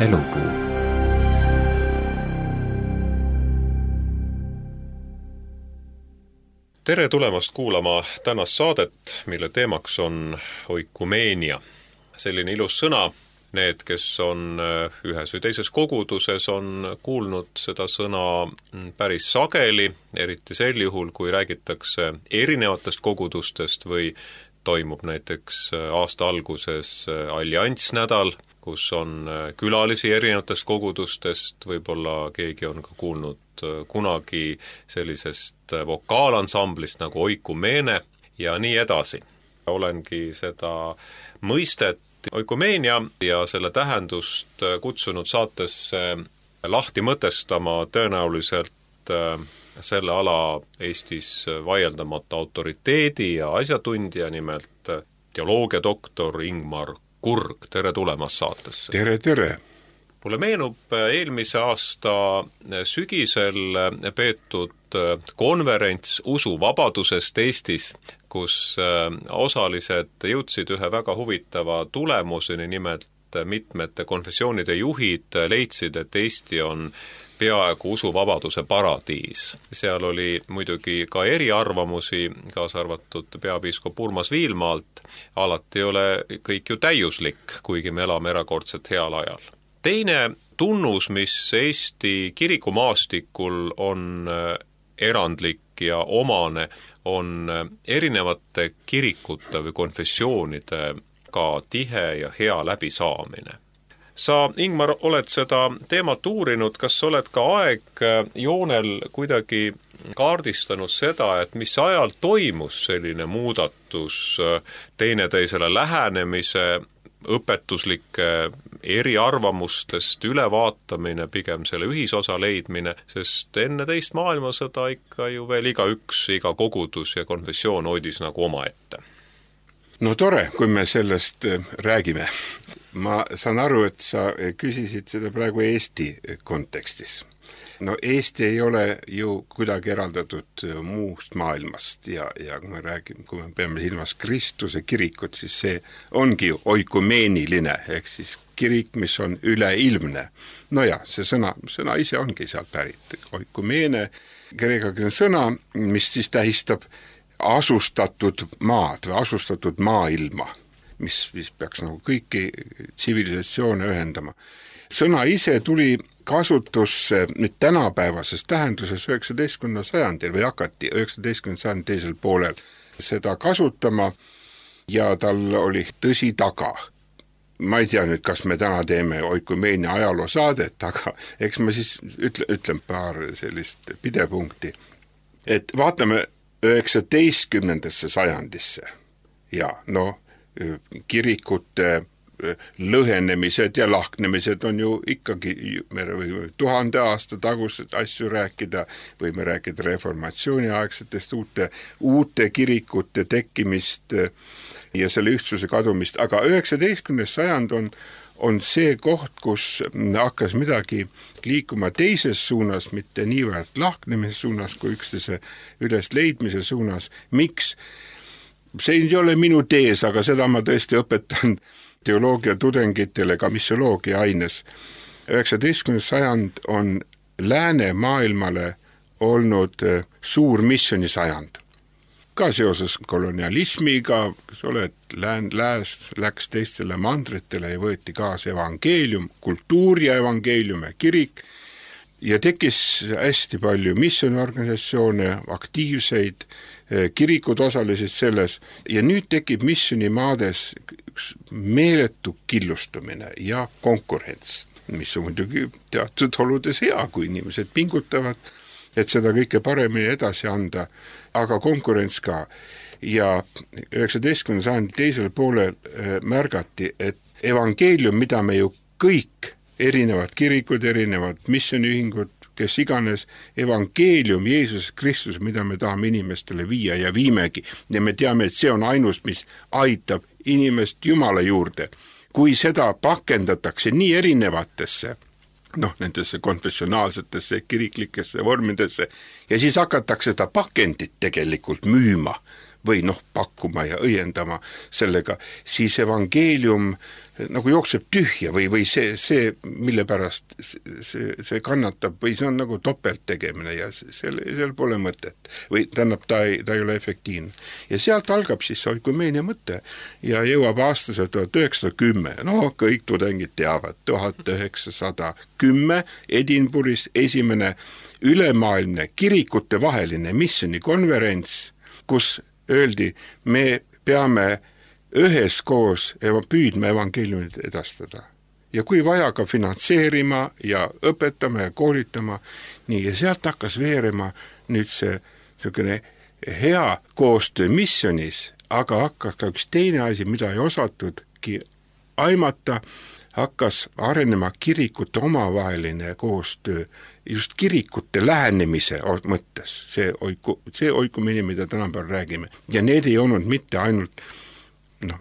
elupuu. Tere tulemast kuulama tänast saadet, mille teemaks on oikumeenia. Selline ilus sõna. Need, kes on ühes või teises koguduses, on kuulnud seda sõna päris sageli, eriti sel juhul, kui räägitakse erinevatest kogudustest või toimub näiteks aasta alguses alliansnädal, kus on külalisi erinevatest kogudustest, võib-olla keegi on ka kuulnud kunagi sellisest vokaalansamblist nagu oikumeene ja nii edasi. Olengi seda mõistet oikumeenia ja selle tähendust kutsunud saatesse lahti mõtestama tõenäoliselt selle ala Eestis vaieldamata autoriteedi ja asjatundja, nimelt teoloogiadoktor Ingmar Kurg. Tere tulemast saatesse. Tere. Mulle meenub eelmise aasta sügisel peetud konverents usuvabadusest Eestis, kus osalised jõudsid ühe väga huvitava tulemuseni, nimelt mitmete konfessioonide juhid leidsid, et Eesti on peaaegu usuvabaduse paradiis. Seal oli muidugi ka eriarvamusi, kaasa arvatud peapiiskop Urmas Viilmaalt. Alati ei ole kõik ju täiuslik, kuigi me elame erakordselt heal ajal. Teine tunnus, mis Eesti kirikumaastikul on erandlik ja omane, on erinevate kirikute või konfessioonide ka tihe ja hea läbisaamine. Sa, Ingmar, oled seda teemat uurinud, kas oled ka aegjoonel kuidagi kaardistanud seda, et mis ajal toimus selline muudatus, teineteisele lähenemise, õpetuslike eriarvamustest ülevaatamine, pigem selle ühisosa leidmine, sest enne teist maailmasõda ikka ju veel igaüks, iga kogudus ja konfessioon hoidis nagu omaette. No tore, kui me sellest räägime. Ma saan aru, et sa küsisid seda praegu Eesti kontekstis. No Eesti ei ole ju kuidagi eraldatud muust maailmast ja kui me peame silmas Kristuse kirikut, siis see ongi ju oikumeeniline, ehk siis kirik, mis on üleilmne. No ja, see sõna ise ongi sealt pärit. Oikumeene, kreekakeelne sõna, mis siis tähistab asustatud maad või asustatud maailma, mis peaks nagu kõiki tsivilisatsioone ühendama. Sõna ise tuli kasutusse nüüd tänapäevases tähenduses 19. sajandil või hakati 19. sajandi teisel poolel seda kasutama ja tal oli tõsi taga. Ma ei tea nüüd, kas me täna teeme oikumeenia ajaloo saadet, aga eks ma siis ütlen paar sellist pidepunkti. Et vaatame 19. sajandisse ja kirikute lõhenemised ja lahknemised on ju ikkagi, me võime 1000 aasta tagused asju rääkida, võime rääkida reformatsiooniaegsetest uute kirikute tekkimist ja selle ühtsuse kadumist, aga 19. sajand on see koht, kus hakkas midagi liikuma teises suunas, mitte niivõrd lahknemise suunas kui üksteise üles leidmise suunas. Miks? See ei ole minu tees, aga seda ma tõesti õpetan teoloogia tudengitele ka missioloogia aines. 19. sajand on läänemaailmale olnud suur missionisajand. Ka seoses kolonialismiga, lääs läks teistele mandritele ja võeti kaasa evangeelium, kultuur ja evangeelium ja kirik ja tekkis hästi palju missioniorganisatsioone, aktiivseid, kirikud osalesid selles ja nüüd tekib missionimaades üks meeletu killustumine ja konkurents, mis on muidugi teatud oludes hea, kui inimesed pingutavad, et seda kõike paremini edasi anda, aga konkurents ka. Ja 19. sajandi teisel poolel märgati, et evangeelium, mida me ju kõik, erinevad kirikud, erinevad missioniühingud, kes iganes, evangeelium Jeesus Kristus, mida me tahame inimestele viia ja viimegi. Ja me teame, et see on ainus, mis aitab inimest Jumala juurde. Kui seda pakendatakse nii erinevatesse, nendesse konfessionaalsetesse, kiriklikesse vormidesse ja siis hakatakse seda pakendit tegelikult müüma või pakkuma ja õiendama sellega, siis evangeelium nagu jookseb tühja või see, mille pärast see kannatab või see on nagu topelttegemine ja seal pole mõtet või tähendab, ta ei ole efektiivne. Ja sealt algab siis oikumeenia mõte ja jõuab aastase 1910, kõik tudengid teavad, 1910 Edinburghis esimene ülemaailmne kirikute vaheline missionikonverents, kus öeldi, me peame üheskoos püüdma evangeeliumit edastada. Ja kui vaja ka finantseerima ja õpetama ja koolitama, nii ja sealt hakkas veerema nüüd see niisugune hea koostöö missionis, aga hakkas ka üks teine asi, mida ei osatudki aimata, hakkas arenema kirikute omavaheline koostöö just kirikute lähenemise mõttes, see oikumine, mida tänapäeval räägime. Ja need ei olnud mitte ainult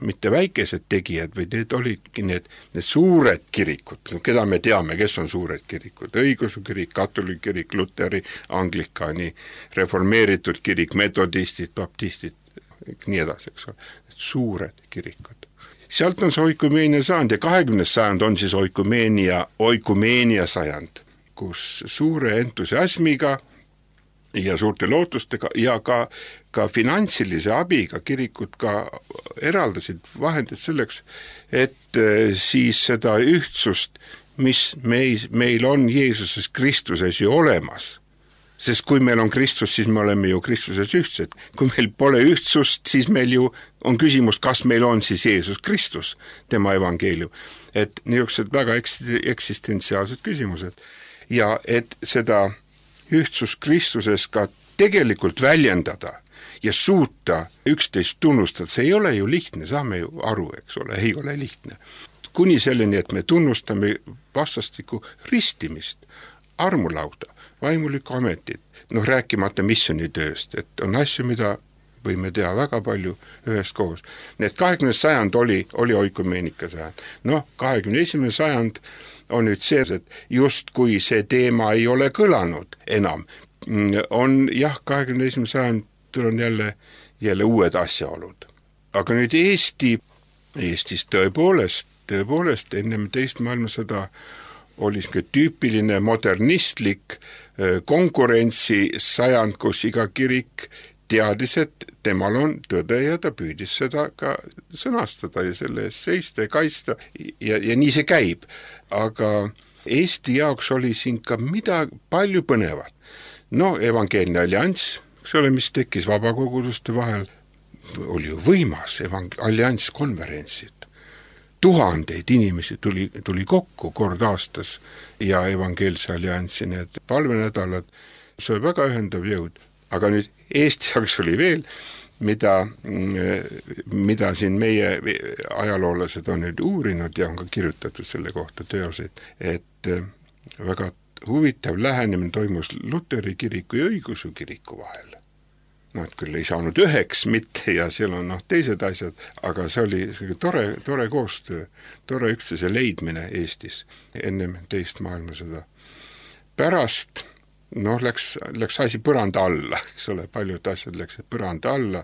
mitte väikesed tegijad, või need olidki need suured kirikud, keda me teame, kes on suured kirikud, õigeusu kirik, katoliku kirik, luteri, anglikani, reformeeritud kirik, metodistid, baptistid, nii edasi, eks ole, suured kirikud. Sealt on see oikumeenia saanud ja 20. sajand on siis oikumeenia sajand, kus suure entusiasmiga ja suurte lootustega ja ka finantsilise abiga kirikud ka eraldasid vahendid selleks, et siis seda ühtsust, mis meil on Jeesuses Kristuses ju olemas. Sest kui meil on Kristus, siis me oleme ju Kristuses ühtsed. Kui meil pole ühtsust, siis meil ju on küsimus, kas meil on siis Jeesus Kristus, tema evangeelium. Et niisugused väga eksistentsiaalsed küsimused. Ja et seda ühtsus Kristuses ka tegelikult väljendada ja suuta üksteist tunnustada, see ei ole ju lihtne, saame ju aru, eks ole, ei ole lihtne. Kuni selleni, et me tunnustame vastastikku ristimist, armulauda, vaimulikku ametit, rääkimata missionitööst, et on asju, mida võime teha väga palju üheskoos. Need 20. sajand oli oikumeenika sajand. 21. sajand on nüüd see, et just kui see teema ei ole kõlanud enam, on 21. sajandil on jälle uued asjaolud. Aga nüüd Eestis tõepoolest ennem teist maailmasõda oli tüüpiline modernistlik konkurentsisajand, kus iga kirik teadis, et temal on tõde ja ta püüdis seda ka sõnastada ja selle eest seista ja kaitsta ja nii see käib. Aga Eesti jaoks oli siin ka palju põnevat. Evangeelne allianss, eks ole, mis tekkis vabakoguduste vahel, oli ju võimas allianskonverentsid. Tuhandeid inimesi tuli kokku kord aastas ja evangeelse alliansi need palvenädalad, see oli väga ühendav jõud. Aga nüüd Eesti jaoks oli veel, mida siin meie ajaloolased on nüüd uurinud ja on ka kirjutatud selle kohta teoseid, et väga huvitav lähenemine toimus Luteri kiriku ja õigeusu kiriku vahel. Et küll ei saanud üheks mitte ja seal on teised asjad, aga see oli tore koostöö, tore üksteise leidmine Eestis ennem teist maailmasõda. Pärast läks asi põranda alla, eks ole, paljud asjad läksid põranda alla.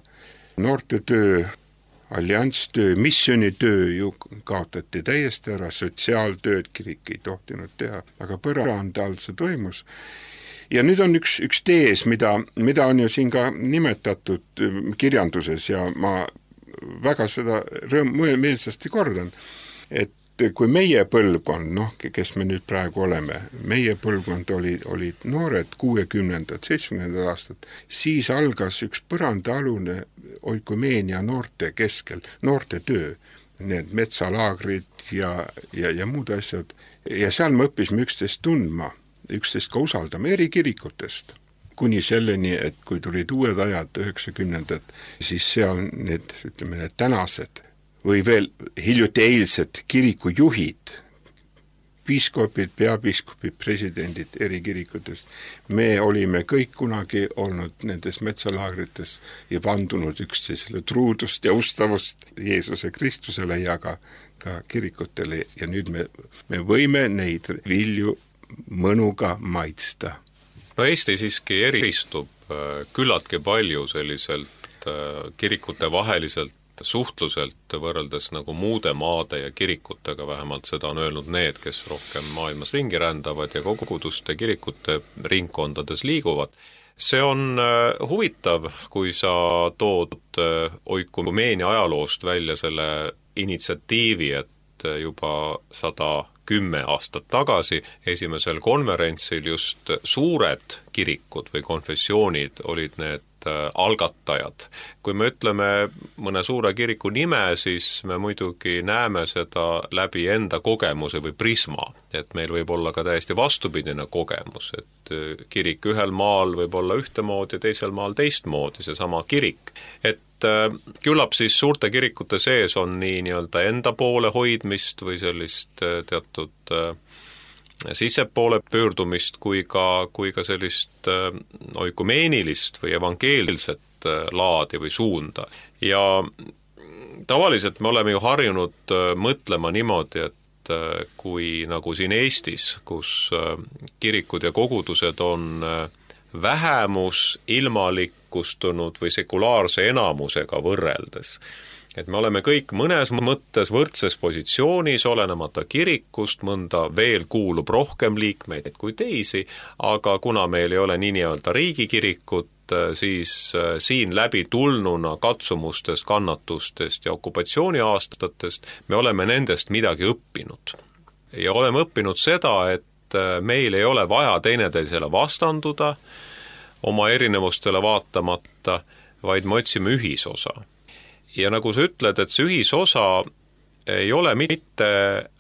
Noorte töö, allianstöö, missionitöö ju kaotati täiesti ära, sotsiaaltööd kirik ei tohtinud teha, aga põranda all see toimus. Ja nüüd on üks tees, mida on ju siin ka nimetatud kirjanduses ja ma väga seda meelsasti kordan, et kui meie põlvkond, kes me nüüd praegu oleme, meie põlvkond olid noored 60. 70. aastad, siis algas üks põrandaalune oikumeenia noorte keskel, noorte töö, need metsalaagrid ja muud asjad. Ja seal me õppisime üksteist tundma, üksteist ka usaldama eri kirikutest. Kuni selleni, et kui tulid uued ajad 90. siis seal need tänased või veel hiljuti eilsed kirikujuhid, piiskopid, peapiiskopid, presidendid eri kirikutest, me olime kõik kunagi olnud nendes metsalaagrites ja vandunud üksteisele truudust ja ustavust Jeesuse Kristusele ja ka kirikutele ja nüüd me võime neid vilju mõnuga maitsta. Eesti siiski eristub küllaltki palju selliselt kirikute vaheliselt suhtluselt võrreldes nagu muude maade ja kirikutega, vähemalt seda on öelnud need, kes rohkem maailmas ringi rändavad ja koguduste kirikute ringkondades liiguvad. See on huvitav, kui sa tood oikumeenia ajaloost välja selle initsiatiivi, et juba 110 aastat tagasi esimesel konverentsil just suured kirikud või konfessioonid olid need algatajad. Kui me ütleme mõne suure kiriku nime, siis me muidugi näeme seda läbi enda kogemuse või prisma, et meil võib olla ka täiesti vastupidine kogemus, et kirik ühel maal võib olla ühtemoodi ja teisel maal teistmoodi, seesama kirik. Et küllap siis suurte kirikute sees on nii-öelda enda poole hoidmist või sellist teatud sissepoole pöördumist kui ka sellist oikumeenilist või evangeelset laadi või suunda. Ja tavaliselt me oleme ju harjunud mõtlema niimoodi, et kui nagu siin Eestis, kus kirikud ja kogudused on vähemus ilmalikustunud või sekulaarse enamusega võrreldes, et me oleme kõik mõnes mõttes võrdses positsioonis, olenemata kirikust, mõnda veel kuulub rohkem liikmeid kui teisi, aga kuna meil ei ole nii-öelda riigikirikut, siis siin läbi tulnuna katsumustest, kannatustest ja okupatsiooniaastatest me oleme nendest midagi õppinud. Ja oleme õppinud seda, et meil ei ole vaja teineteisele vastanduda, oma erinevustele vaatamata, vaid me otsime ühisosa. Ja nagu sa ütled, et see ühisosa ei ole mitte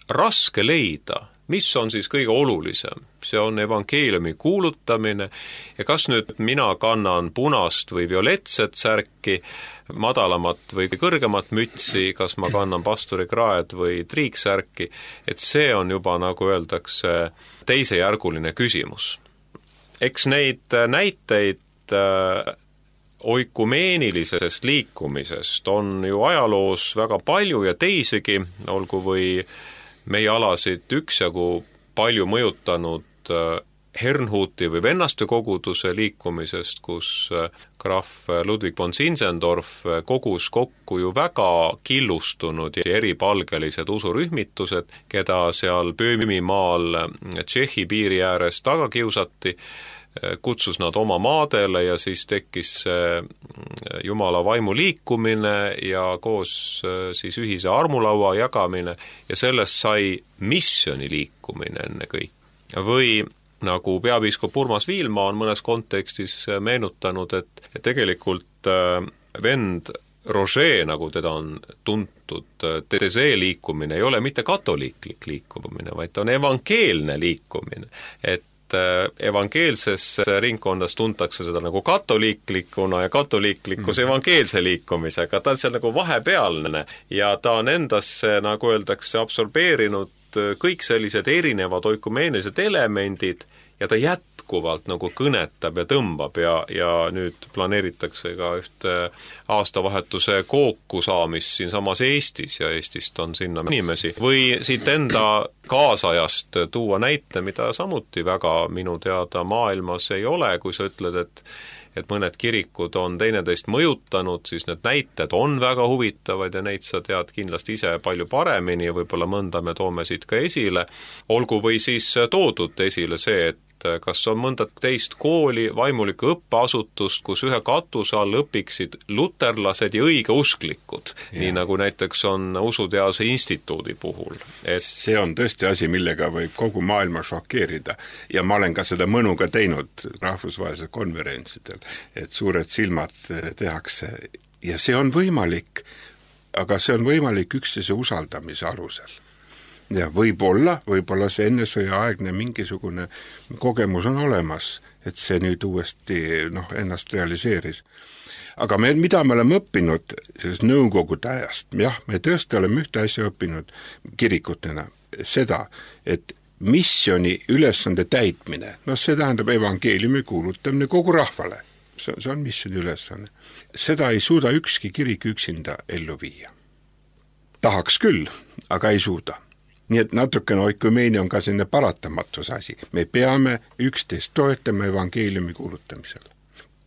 raske leida, mis on siis kõige olulisem. See on evangeeliumi kuulutamine ja kas nüüd mina kannan punast või violetset särki, madalamat või kõrgemat mütsi, kas ma kannan pastorikraed või triiksärki, et see on juba, nagu öeldakse, teisejärguline küsimus. Eks neid näiteid oikumeenilisest liikumisest on ju ajaloos väga palju ja teisigi, olgu või meie alasid üksjagu palju mõjutanud Herrnhuti või vennaste koguduse liikumisest, kus krahv Ludwig von Zinzendorf kogus kokku ju väga killustunud ja eripalgelised usurühmitused, keda seal Böömimaal Tšehhi piiri ääres taga kiusati, kutsus nad oma maadele ja siis tekkis Jumala vaimu liikumine ja koos siis ühise armulaua jagamine ja sellest sai missiooni liikumine enne kõik. Või nagu peapiiskop Urmas Viilma on mõnes kontekstis meenutanud, et tegelikult vend Roger, nagu teda on tuntud, see liikumine ei ole mitte katoliiklik liikumine, vaid ta on evangeelne liikumine, et evangeelses ringkondas tuntakse seda nagu katoliiklikuna ja katoliiklikkus evangeelse liikumisega, ta on seal nagu vahepealne ja ta on endasse, nagu öeldakse, absorbeerinud kõik sellised erinevad oikumeenilised elemendid ja ta jätkuvalt nagu kõnetab ja tõmbab ja nüüd planeeritakse ka ühte aastavahetuse kooku saamist siinsamas Eestis ja Eestist on sinna inimesi. Või siit enda kaasajast tuua näite, mida samuti väga minu teada maailmas ei ole, kui sa ütled, et mõned kirikud on teineteist mõjutanud, siis need näited on väga huvitavad ja neid sa tead kindlasti ise palju paremini ja võib-olla mõnda me toome siit ka esile. Olgu või siis toodud esile see, et kas on mõnda teist kooli, vaimulikku õppeasutust, kus ühe katuse all õpiksid luterlased ja õigeusklikud, nii nagu näiteks on Usuteaduse instituudi puhul. See on tõesti asi, millega võib kogu maailma šokeerida ja ma olen ka seda mõnuga teinud rahvusvahelisel konverentsidel, et suured silmad tehakse ja see on võimalik, aga see on võimalik üksteise usaldamise alusel. Ja võib-olla see ennesõjaaegne mingisugune kogemus on olemas, et see nüüd uuesti ennast realiseeris. Aga mida me oleme õppinud sellest nõukogude ajast? Jah, me tõesti oleme ühte asja õppinud kirikutena, seda, et missiooni ülesande täitmine, see tähendab evangeeliumi kuulutamine kogu rahvale. See on missiooni ülesanne. Seda ei suuda ükski kirik üksinda ellu viia. Tahaks küll, aga ei suuda. Nii et natukene oikumeenia on ka selline paratamatus asi. Me peame üksteist toetama evangeeliumi kuulutamisel.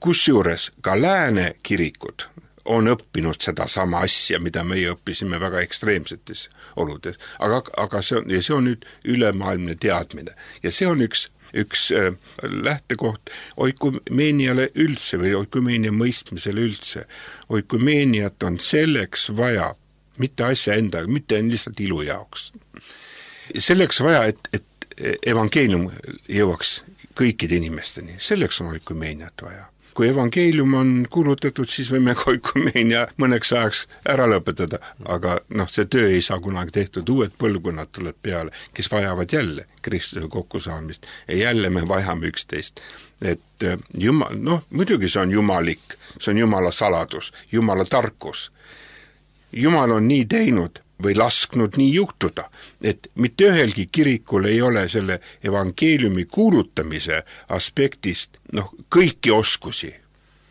Kusjuures ka lääne kirikud on õppinud seda sama asja, mida meie õppisime väga ekstreemsetes oludes. Aga see on nüüd ülemaailmne teadmine ja see on üks lähtekoht oikumeeniale üldse või oikumeenia mõistmisele üldse. Oikumeeniat on selleks vaja, mitte asja endaga, mitte lihtsalt ilu jaoks. Selleks vaja, et evangeelium jõuaks kõikide inimesteni, selleks on oikumeeniat vaja. Kui evangeelium on kuulutatud, siis võime oikumeenia mõneks ajaks ära lõpetada, aga see töö ei saa kunagi tehtud, uued põlvkonnad tuleb peale, kes vajavad jälle Kristuse kokkusaamist ja jälle me vajame üksteist. Et Jumal, muidugi see on jumalik, see on Jumala saladus, Jumala tarkus. Jumal on nii teinud või lasknud nii juhtuda, et mitte ühelgi kirikul ei ole selle evangeeliumi kuulutamise aspektist kõiki oskusi,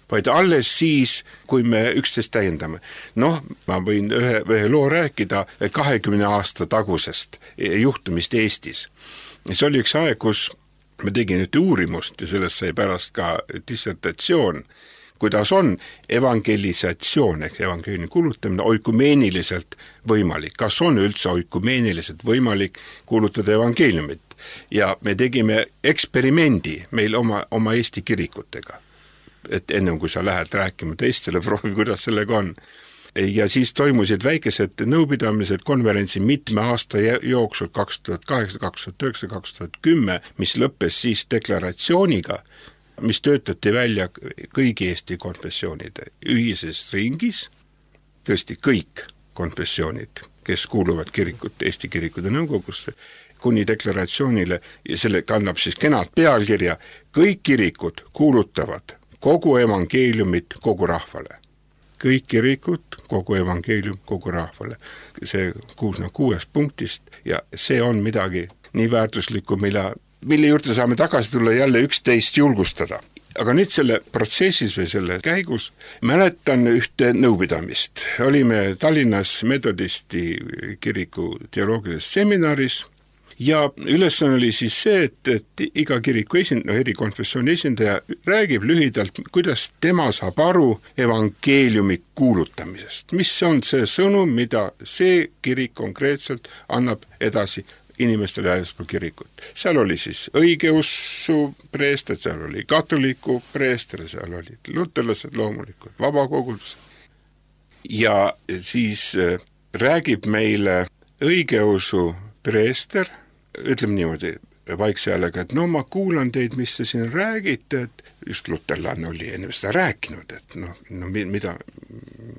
vaid alles siis, kui me üksteist täiendame. Ma võin ühe loo rääkida 20 aasta tagusest juhtumist Eestis. See oli üks aeg, kus me tegin ühte uurimust ja sellest sai pärast ka dissertatsioon, kuidas on evangelisatsioon ehk evangeeliumi kuulutamine oikumeeniliselt võimalik. Kas on üldse oikumeeniliselt võimalik kuulutada evangeeliumit? Ja me tegime eksperimendi meil oma Eesti kirikutega. Et ennem kui sa lähed rääkima teistele, proovi, kuidas sellega on. Ja siis toimusid väikesed nõupidamised konverentsi mitme aasta jooksul 2008, 2009, 2010, mis lõppes siis deklaratsiooniga, mis töötati välja kõigi Eesti konfessioonide ühises ringis, tõesti kõik konfessioonid, kes kuuluvad Eesti kirikute nõukogusse, kuni deklaratsioonile, ja selle kannab siis kenad pealkirja, kõik kirikud kuulutavad kogu evangeeliumit kogu rahvale. Kõik kirikud, kogu evangeelium kogu rahvale. See 6 punktist ja see on midagi nii väärtuslikku, mille juurde saame tagasi tulla jälle üksteist julgustada. Aga nüüd selle protsessis või selle käigus mäletan ühte nõupidamist. Olime Tallinnas Metodisti kiriku teoloogilises seminaris ja ülesanne oli siis see, et iga kiriku eri konfessiooni esindaja räägib lühidalt, kuidas tema saab aru evangeeliumi kuulutamisest. Mis on see sõnum, mida see kirik konkreetselt annab edasi inimestele väljaspool kirikut. Seal oli siis õigeussu preester, seal oli katoliku preester, seal olid luterlased loomulikult, vabakogudused. Ja siis räägib meile õigeusu preester, ütleme niimoodi vaikse häälega, et ma kuulan teid, mis te siin räägite, et just luterlane oli enne seda rääkinud, et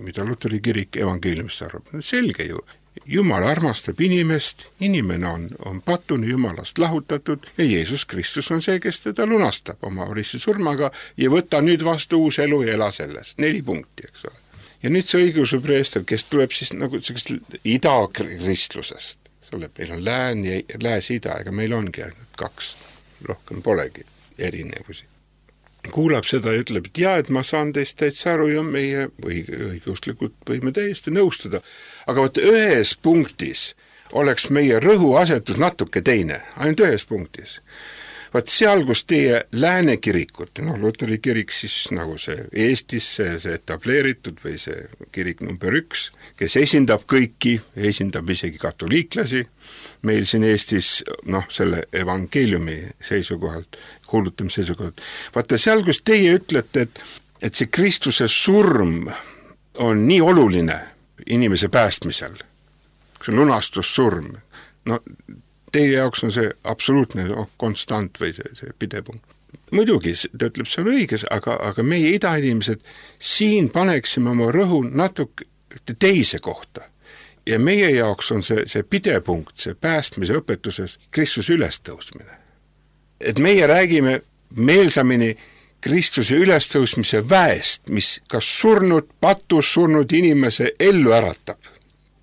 mida luteri kirik evangeeliumist arvab. Selge ju. Jumal armastab inimest, inimene on patune Jumalast lahutatud ja Jeesus Kristus on see, kes teda lunastab oma ristisurmaga ja võta nüüd vastu uus elu ja ela selles. 4 punkti, eks ole. Ja nüüd see õigeusu preester, kes tuleb siis nagu idakristlusest. Meil on lääs-ida, ega meil ongi ainult 2, rohkem polegi erinevusi. Kuulab seda ja ütleb, et ma saan teist täitsa aru ja meie õigeusklikult võime täiesti nõustuda. Aga ühes punktis oleks meie rõhuasetus natuke teine, ainult ühes punktis. Seal, kus teie lääne kirikut, luteri kirik siis nagu see Eestis see etableeritud või see kirik number 1, kes esindab kõiki, esindab isegi katoliiklasi, meil siin Eestis selle evangeeliumi seisukohalt, kuulutamise seisukohalt. Seal, kus teie ütlete, et see Kristuse surm on nii oluline inimese päästmisel, see lunastussurm, teie jaoks on see absoluutne konstant või see pidepunkt. Muidugi, ta ütleb, see on õiges, aga meie idainimesed siin paneksime oma rõhu natuke teise kohta. Ja meie jaoks on see pidepunkt, see päästmise õpetuses Kristuse ülestõusmine. Et meie räägime meelsamini Kristuse ülestõusmise väest, mis kas patus surnud inimese ellu äratab.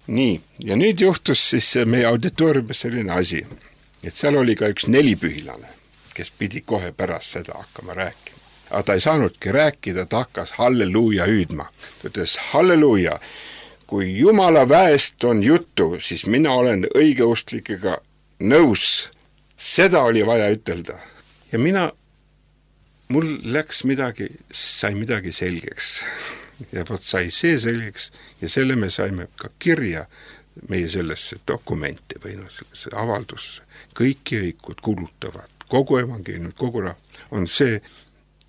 Nii, ja nüüd juhtus siis meie auditooriumis selline asi, et seal oli ka üks 4-pühilane, kes pidi kohe pärast seda hakkama rääkima. Aga ta ei saanudki rääkida, ta hakkas halleluuja hüüdma. Ta ütles, halleluuja, kui Jumala väest on juttu, siis mina olen õigeustlikega nõus. Seda oli vaja ütelda. Ja mul sai midagi selgeks. ja vot sai see selgeks ja selle me saime ka kirja meie sellesse dokumenti või sellesse avaldusse. Kõik kirikud kuulutavad kogu evangeeliumit, kogu rahvale, on see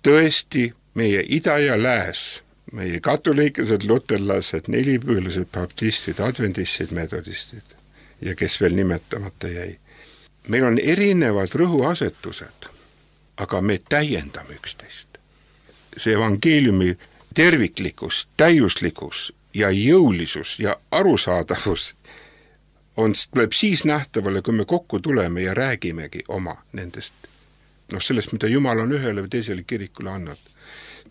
tõesti meie ida ja lääs, meie katoliiklased, luterlased, nelipühilased, baptistid, adventistid, metodistid ja kes veel nimetamata jäi. Meil on erinevad rõhuasetused, aga me täiendame üksteist. See evangeeliumi terviklikkus, täiuslikkus ja jõulisus ja arusaadavus tuleb siis nähtavale, kui me kokku tuleme ja räägimegi oma nendest, sellest, mida Jumal on ühele või teisele kirikule andnud.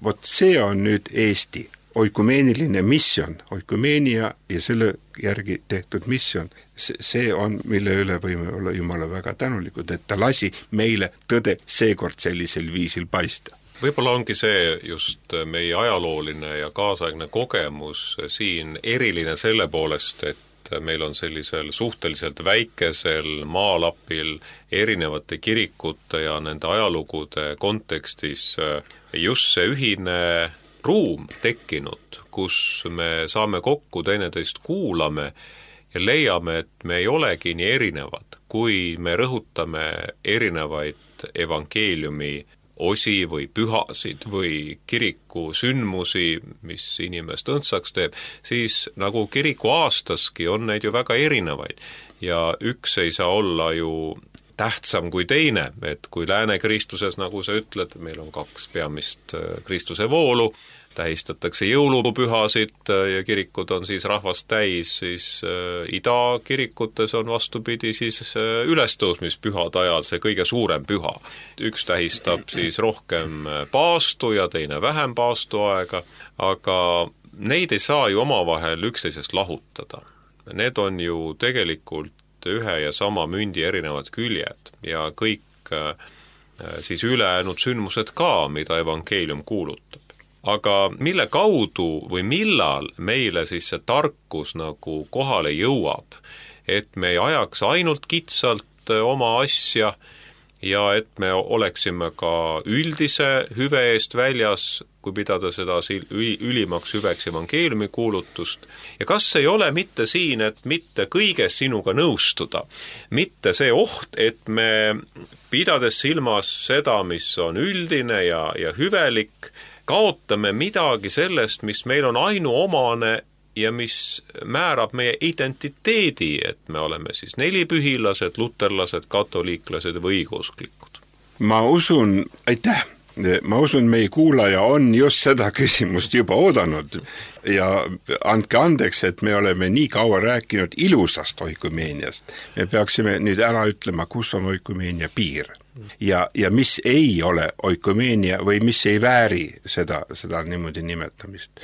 Vot see on nüüd Eesti oikumeeniline misjon, oikumeenia ja selle järgi tehtud misjon. See on, mille üle võime olla Jumala väga tänulikud, et ta lasi meile tõde seekord sellisel viisil paista. Võib-olla ongi see just meie ajalooline ja kaasaegne kogemus siin eriline selle poolest, et meil on sellisel suhteliselt väikesel maalapil erinevate kirikute ja nende ajalugude kontekstis just see ühine ruum tekkinud, kus me saame kokku, teineteist kuulame ja leiame, et me ei olegi nii erinevad, kui me rõhutame erinevaid evangeeliumi osi või pühasid või kiriku sündmusi, mis inimest õndsaks teeb, siis nagu kiriku aastaski on neid ju väga erinevaid ja üks ei saa olla ju tähtsam kui teine, et kui lääne kristluses, nagu sa ütled, meil on 2 peamist Kristuse voolu, tähistatakse jõulupühasid ja kirikud on siis rahvast täis, siis idakirikutes on vastupidi siis ülestõusmispühade ajal see kõige suurem püha. Üks tähistab siis rohkem paastu ja teine vähem paastu aega, aga neid ei saa ju omavahel üksteisest lahutada. Need on ju tegelikult ühe ja sama mündi erinevad küljed ja kõik siis ülejäänud sündmused ka, mida evangeelium kuulutab. Aga mille kaudu või millal meile siis see tarkus nagu kohale jõuab, et me ei ajaks ainult kitsalt oma asja ja et me oleksime ka üldise hüve eest väljas, kui pidada seda ülimaks hüveks evangeeliumi kuulutust. Ja kas ei ole mitte siin, et mitte kõiges sinuga nõustuda, mitte see oht, et me pidades silmas seda, mis on üldine ja hüvelik, kaotame midagi sellest, mis meil on ainuomane ja mis määrab meie identiteedi, et me oleme siis nelipühilased, luterlased, katoliiklased või õigeusklikud. Ma usun, aitäh! Ma usun, meie kuulaja on just seda küsimust juba oodanud ja andke andeks, et me oleme nii kaua rääkinud ilusast oikumeeniast. Me peaksime nüüd ära ütlema, kus on oikumeenia piir ja mis ei ole oikumeenia või mis ei vääri seda niimoodi nimetamist.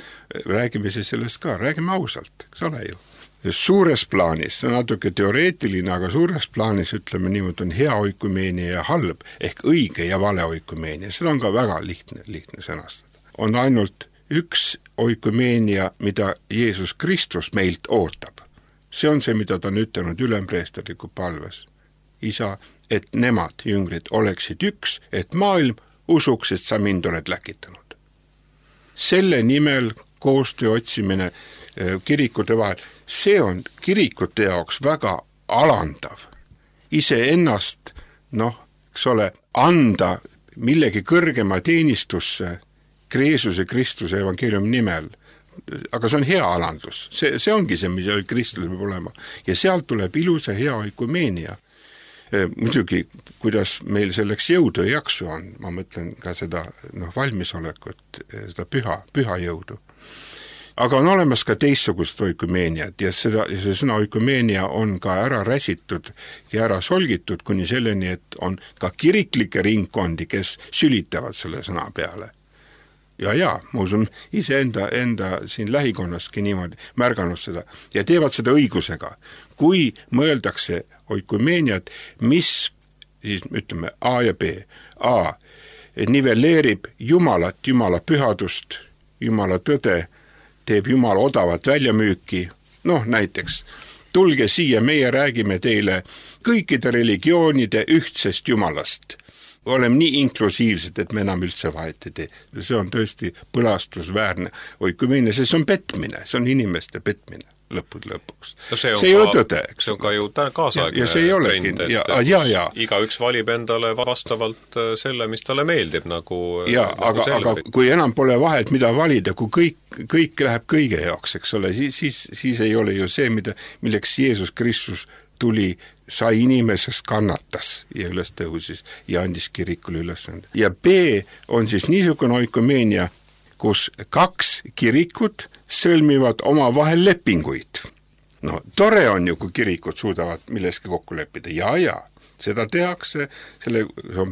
Räägime siis sellest ka, räägime ausalt, eks ole ju. Suures plaanis, see on natuke teoreetiline, aga suures plaanis ütleme niimoodi on hea oikumeenia ja halb ehk õige ja vale oikumeenia. Seda on ka väga lihtne sõnastada. On ainult üks oikumeenia, mida Jeesus Kristus meilt ootab. See on see, mida ta on ütelnud ülempreesterliku palves. Isa, et nemad, jüngrid, oleksid üks, et maailm usuks, et sa mind oled läkitanud. Selle nimel koostöö otsimine kirikute vahel, see on kirikute jaoks väga alandav. Iseennast, eks ole, anda millegi kõrgema teenistusse Jeesuse Kristuse evangeeliumi nimel. Aga see on hea alandus. See ongi see, mis Kristus peab olema. Ja sealt tuleb ilus ja hea oikumeenia. Muidugi, kuidas meil selleks jõudu ja jaksu on, ma mõtlen ka seda valmisolekut, seda püha jõudu. Aga on olemas ka teistsugust oikumeeniat ja see sõna oikumeenia on ka ära räsitud ja ära solgitud kuni selleni, et on ka kiriklikke ringkondi, kes sülitavad selle sõna peale. Ja, ma usun iseenda siin lähikonnaski niimoodi märganud seda ja teevad seda õigusega. Kui mõeldakse oikumeeniat, mis siis ütleme A ja B. A nivelleerib Jumalat, Jumala pühadust, Jumala tõde, teeb Jumal odavat väljamüüki, näiteks, tulge siia, meie räägime teile kõikide religioonide ühtsest Jumalast oleme nii inklusiivsed, et me enam üldse vahet ei tee. See on tõesti põlastusväärne oikumine, see on petmine, see on inimeste petmine lõppude lõpuks. No see ei ole tõde. See on ka ju kaasaegne trend, et igaüks valib endale vastavalt selle, mis talle meeldib. Aga kui enam pole vahet, mida valida, kui kõik läheb kõige jaoks, eks ole, siis ei ole ju see, milleks Jeesus Kristus tuli, sai inimesest, kannatas ja üles tõusis ja andis kirikule ülesande. Ja B on siis niisugune oikomeenia, kus 2 kirikut sõlmivad omavahel lepinguid. No tore on ju, kui kirikud suudavad milleski kokku leppida. Ja, seda tehakse,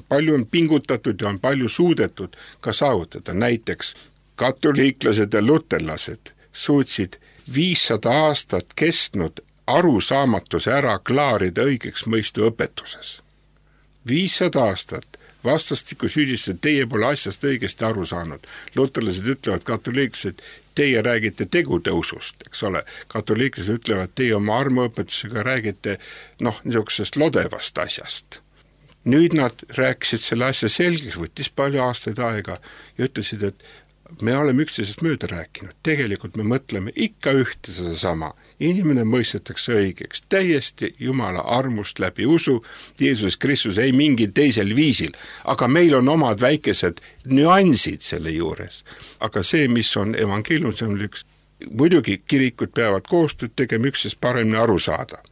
palju on pingutatud ja on palju suudetud ka saavutada. Näiteks katoliiklased ja luterlased suutsid 500 aastat kestnud arusaamatuse ära klaarida õigeks mõistu õpetuses. 500 aastat. Vastastikku süüdistada, teie pole asjast õigesti aru saanud. Luterlased ütlevad, katoliiklased, teie räägite tegutõusust, eks ole. Katoliiklased ütlevad, teie oma armuõpetusega räägite niisugusest lodevast asjast. Nüüd nad rääkisid selle asja selgeks, võttis palju aastaid aega ja ütlesid, et me oleme üksteisest mööda rääkinud. Tegelikult me mõtleme ikka ühte seda sama. Inimene mõistetakse õigeks, täiesti Jumala armust läbi usu, Jeesus Kristus ei mingil teisel viisil, aga meil on omad väikesed nüansid selle juures. Aga see, mis on evangeelium, see on muidugi kirikud peavad koostööd tegema üksteisest paremini aru saada.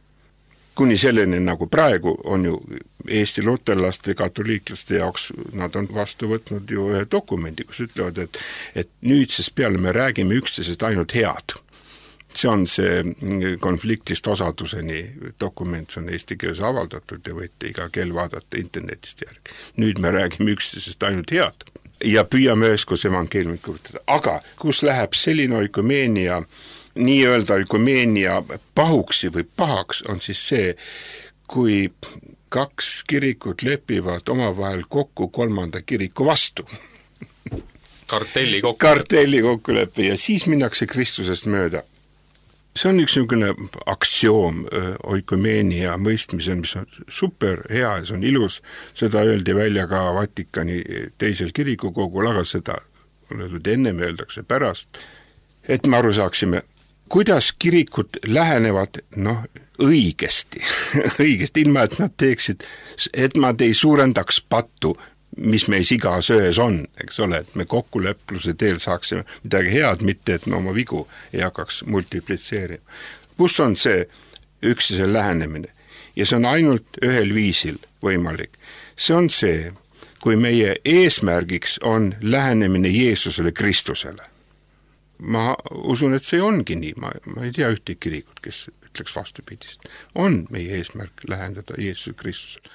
Kuni selleni, nagu praegu on ju Eesti luterlaste ja katoliiklaste jaoks, nad on vastu võtnud ju ühe dokumendi, kus ütlevad, et nüüdsest peale me räägime üksteisest ainult head. See on see konfliktist osaduseni dokument, see on eesti keeles avaldatud ja võite iga kell vaadata internetist järgi. Nüüd me räägime üksteisest ainult head ja püüame üheskoos evangeeliumit kuulutada. Aga kus läheb selline oikomeenia, nii-öelda oikomeenia pahuksi või pahaks, on siis see, kui 2 kirikut lepivad omavahel kokku 3. kiriku vastu. Kartelli kokkulepe ja siis minnakse Kristusest mööda. See on üks niisugune aktsioom oikomeenia mõistmisel, mis on super hea ja see on ilus. Seda öeldi välja ka Vatikani teisel kirikukogul, aga seda on öeldud ennem, öeldakse pärast. Et me aru saaksime, kuidas kirikud lähenevad õigesti, ilma et nad teeksid, et nad ei suurendaks pattu, mis meis igas öös on, eks ole, et me kokkulepluse teel saaksime midagi head, mitte et me oma vigu ei hakkaks multiplitseerima. Kus on see üksteise lähenemine? Ja see on ainult ühel viisil võimalik. See on see, kui meie eesmärgiks on lähenemine Jeesusele Kristusele. Ma usun, et see ongi nii. Ma ei tea ühte kirikut, kes ütleks vastupidist. On meie eesmärk lähendada Jeesuse Kristusele.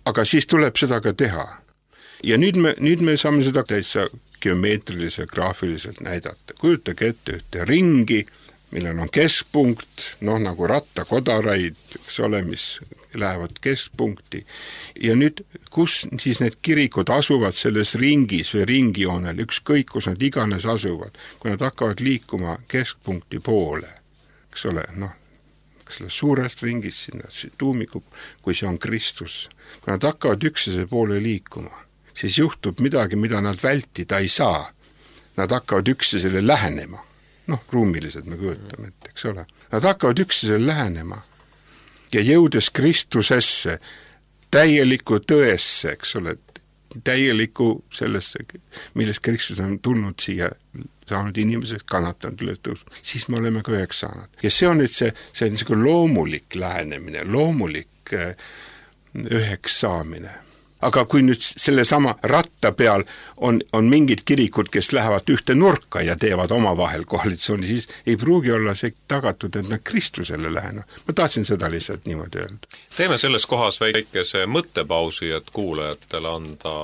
Aga siis tuleb seda ka teha. Ja nüüd me saame seda täitsa geomeetriliselt, graafiliselt näidata. Kujutage ette ühte ringi, millel on keskpunkt, nagu rattakodaraid, eks ole, mis lähevad keskpunkti. Ja nüüd, kus siis need kirikud asuvad selles ringis või ringijoonel, ükskõik kus nad iganes asuvad, kui nad hakkavad liikuma keskpunkti poole, eks ole, suurest ringist sinna tuumiku, kui see on Kristus. Kui nad hakkavad üksteise poole liikuma, siis juhtub midagi, mida nad vältida ei saa. Nad hakkavad üksteisele lähenema. Ruumiliselt me kujutame, eks ole. Nad hakkavad üksteisele lähenema. Ja jõudes Kristusesse, täieliku tõesse, eks ole, täieliku sellesse, millest Kristus on tulnud siia, saanud inimeseks, kannatanud üles tõusnud, siis me oleme ka üheks saanud. Ja see on nüüd see on loomulik lähenemine, loomulik üheks saamine. Aga kui nüüd selle sama ratta peal on mingid kirikud, kes lähevad ühte nurka ja teevad omavahel koalitsiooni, siis ei pruugi olla see tagatud, et nad Kristusele lähenevad. Ma tahtsin seda lihtsalt niimoodi öelda. Teeme selles kohas väikese mõttepausi, et kuulajatele anda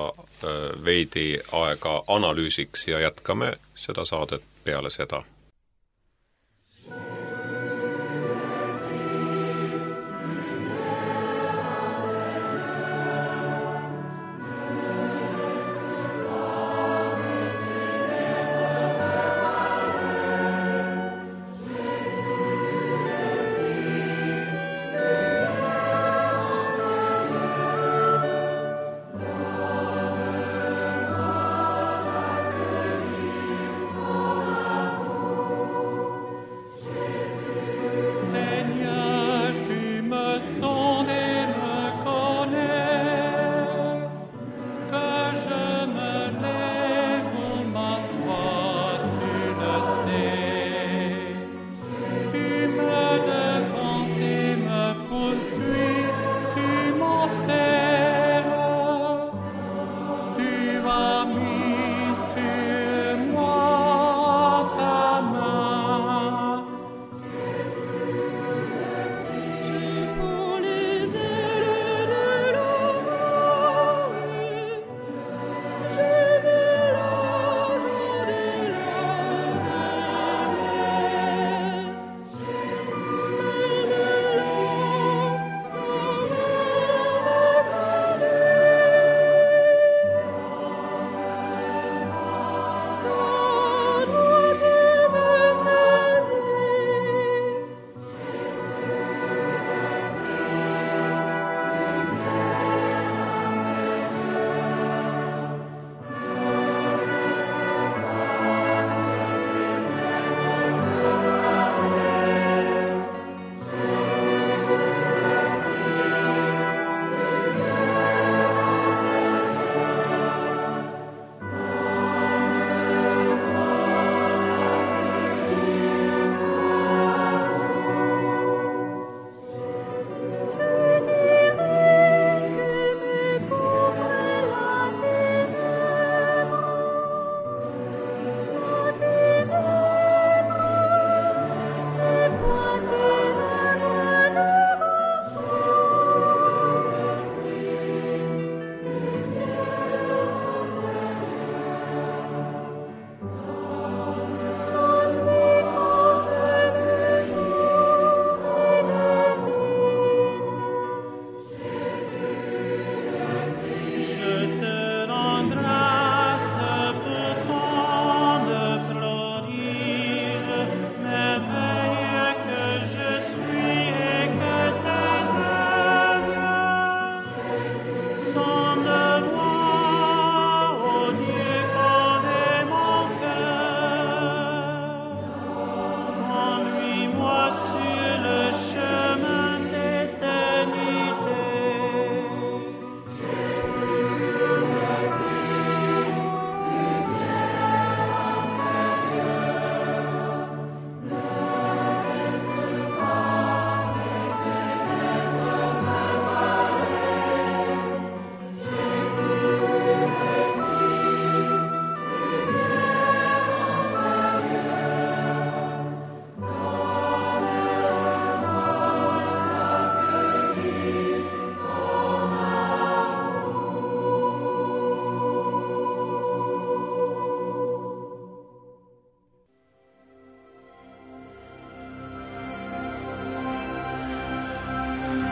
veidi aega analüüsiks ja jätkame seda saadet peale seda.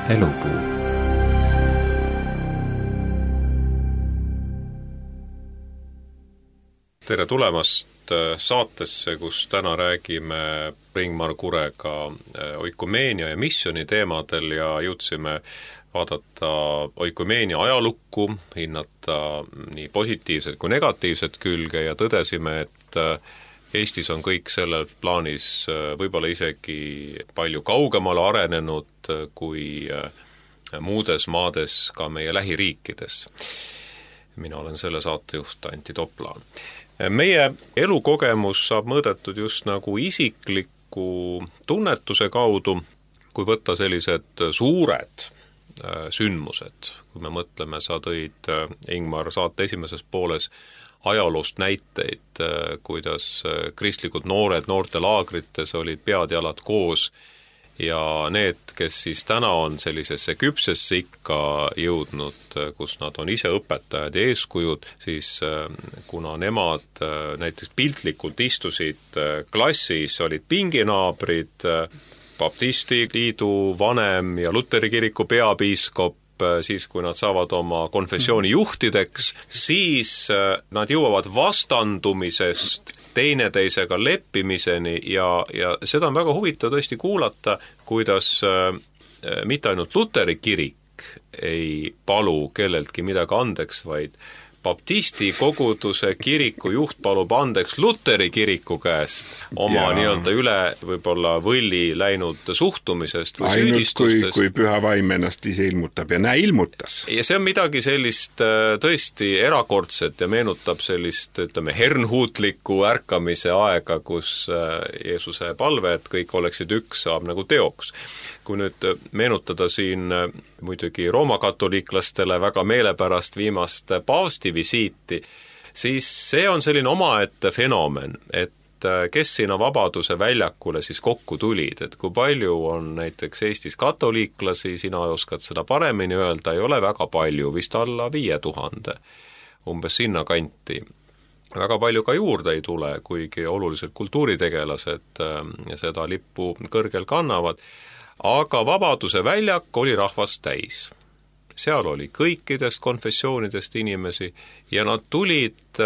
Elupuu. Tere tulemast saatesse, kus täna räägime Ringmar Kurega oikumeenia ja missiooni teemadel ja jõudsime vaadata oikumeenia ajalukku, hinnata nii positiivset kui negatiivset külge ja tõdesime, et Eestis on kõik sellel plaanis võib-olla isegi palju kaugemale arenenud kui muudes maades ka meie lähiriikides. Mina olen selle saatejuht Antti Toplaan. Meie elukogemus saab mõõdetud just nagu isikliku tunnetuse kaudu, kui võtta sellised suured sündmused. Kui me mõtleme, sa tõid, Ingmar, saate esimeses pooles ajaloost näiteid, kuidas kristlikud noored noortelaagrites olid pead-jalad koos ja need, kes siis täna on sellisesse küpsesse ikka jõudnud, kus nad on ise õpetajad ja eeskujud, siis kuna nemad näiteks piltlikult istusid klassis, olid pinginaabrid, Baptisti liidu vanem ja Luteri kiriku peapiiskop, siis kui nad saavad oma konfessiooni juhtideks, siis nad jõuavad vastandumisest teineteisega leppimiseni ja seda on väga huvitav tõesti kuulata, kuidas mitte ainult Luteri kirik ei palu kelleltki midagi andeks, vaid Baptisti koguduse kiriku juht palub andeks Luteri kiriku käest oma nii-öelda üle võib-olla võlli läinud suhtumisest või süüdistustest. Ainult kui püha vaim ennast ise ilmutab ja ilmutas. Ja see on midagi sellist tõesti erakordset ja meenutab sellist, ütleme, hernhuutliku ärkamise aega, kus Jeesuse palve, et kõik oleksid üks, saab nagu teoks. Kui nüüd meenutada siin muidugi roomakatoliiklastele väga meelepärast viimast paavsti visiiti, siis see on selline omaette fenomen, et kes sinna Vabaduse väljakule siis kokku tulid, et kui palju on näiteks Eestis katoliiklasi, sina oskad seda paremini öelda, ei ole väga palju, vist alla 5000, umbes sinna kanti. Väga palju ka juurde ei tule, kuigi oluliselt kultuuritegelased seda lippu kõrgel kannavad, aga Vabaduse väljak oli rahvast täis. Seal oli kõikidest konfessioonidest inimesi ja nad tulid